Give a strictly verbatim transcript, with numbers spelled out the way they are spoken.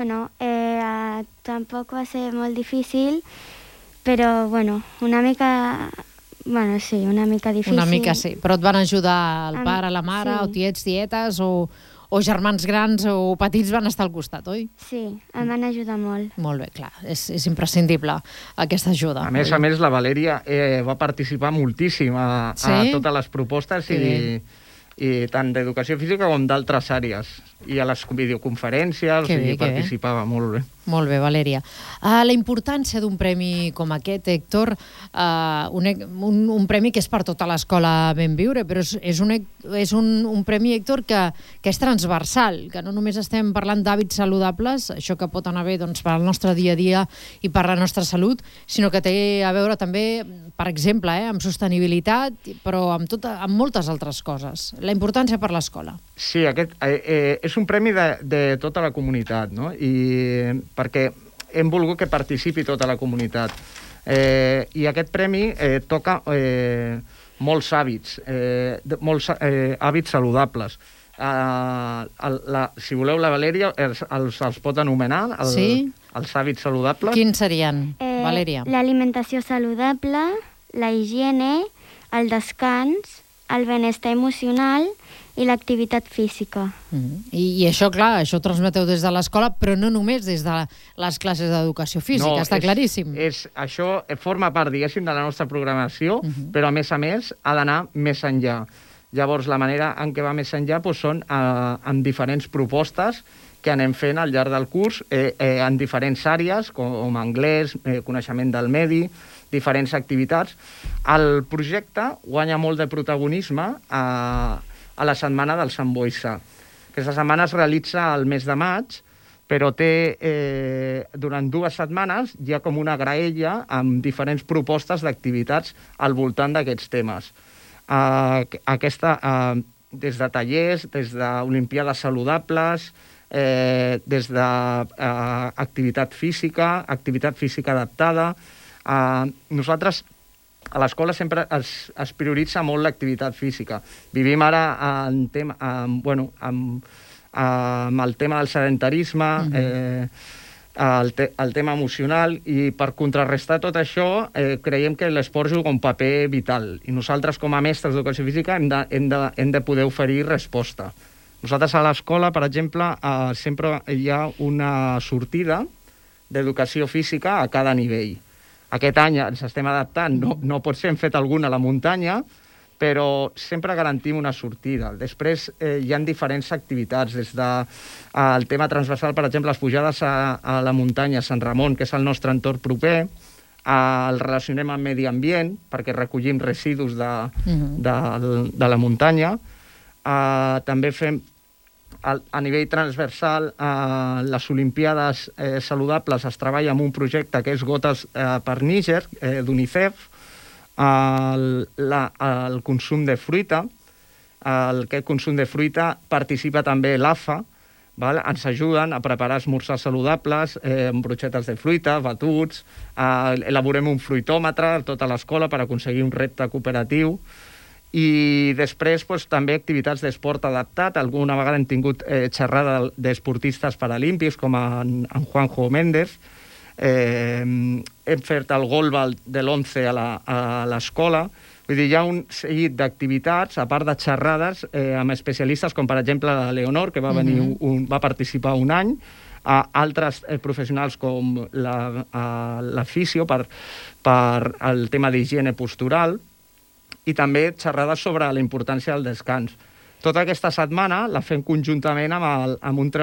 Bueno, eh, tampoc va ser molt difícil, però, bueno, una mica... Bueno, sí, una mica difícil. Una mica sí, però et van ajudar el Em- pare, la mare, sí. o tiets, tietes, o, o germans grans o petits van estar al costat, oi? Sí, em van ajudar molt. Molt bé, clar, és, és imprescindible aquesta ajuda. A més a més, la Valèria eh, va participar moltíssim a, Sí? a totes les propostes Que i, i tant d'educació física com d'altres àrees. I a les videoconferències, Que o sigui, bé, que bé. participava molt bé. Molt bé, Valèria. Uh, la importància d'un premi com aquest, Héctor, uh, un, un, un premi que és per tota l'escola Benviure, però és, és, un, és un, un premi, Héctor, que, que és transversal, que no només estem parlant d'hàbits saludables, això que pot anar bé doncs, per al nostre dia a dia i per la nostra salut, sinó que té a veure també, per exemple, eh, amb sostenibilitat, però amb, tota, amb moltes altres coses. La importància per l'escola. Sí, aquest eh, eh, és un premi de, de tota la comunitat, no? I perquè hem volgut que participi tota la comunitat. Eh, I aquest premi eh, toca eh, molts hàbits, eh, de, molts eh, hàbits saludables. Eh, el, la, si voleu, la Valèria els, els, els pot anomenar, el, Sí? els hàbits saludables. Quins serien, Eh, Valèria? L'alimentació saludable, la higiene, el descans, el benestar emocional i l'activitat física. Mm. I, I això, clar, això ho transmeteu des de l'escola, però no només des de les classes d'educació física, està és, claríssim. És, això forma part, diguéssim, de la nostra programació, Uh -huh. però a més a més ha d'anar més enllà. Llavors, la manera en què va més enllà doncs, són eh, amb diferents propostes que anem fent al llarg del curs eh, eh, en diferents àrees, com, com anglès, eh, coneixement del medi, diferents activitats. El projecte guanya molt de protagonisme a, a la setmana del Sant Boixà. Aquesta setmana es realitza al mes de maig, però té, eh, durant dues setmanes hi ha com una graella amb diferents propostes d'activitats al voltant d'aquests temes. Uh, aquesta, uh, des de tallers, des d'Olimpíades saludables, eh, des d'activitat uh, física, activitat física adaptada. Uh, nosaltres a l'escola sempre es, es prioritza molt l'activitat física. Vivim ara en tema, en, bueno, amb, amb el tema del sedentarisme, mm-hmm. eh, el, te, el tema emocional, i per contrarrestar tot això eh, creiem que l'esport juga un paper vital, i nosaltres com a mestres d'educació física hem de, hem de, hem de poder oferir resposta. Nosaltres a l'escola, per exemple, eh, sempre hi ha una sortida d'educació física a cada nivell. Aquest any ens estem adaptant, no, no pot ser, hem fet alguna a la muntanya, però sempre garantim una sortida. Després eh, hi ha diferents activitats, des del de, tema transversal, per exemple, les pujades a, a la muntanya, a Sant Ramon, que és el nostre entorn proper, eh, el relacionem amb medi ambient, perquè recollim residus de, uh-huh. de, de la muntanya. Eh, també fem, a, a nivell transversal, eh, les Olimpíades eh, saludables es treballa amb un projecte que és Gotes eh, per Níger, eh, d'UNICEF, El, la, el consum de fruita, el, aquest consum de fruita participa també l'A F A, val? Ens ajuden a preparar esmorzars saludables, eh, amb broixetes de fruita, batuts, eh, elaborem un fruitòmetre a tota l'escola per aconseguir un repte cooperatiu, i després doncs, també activitats d'esport adaptat. Alguna vegada hem tingut eh, xerrada d'esportistes paralímpics, com en, en Juanjo Méndez. Eh, hem fet el golbal de l'onze a l'escola. Vull dir, hi ha un seguit d'activitats, a part de xerrades, eh, amb especialistes, com per exemple la Leonor, que va, venir un, un, va participar un any, a altres eh, professionals com la, a, la fisio per, per el tema d'higiene postural, i també xerrades sobre la importància del descans. Tota aquesta setmana la fem conjuntament amb, el, amb un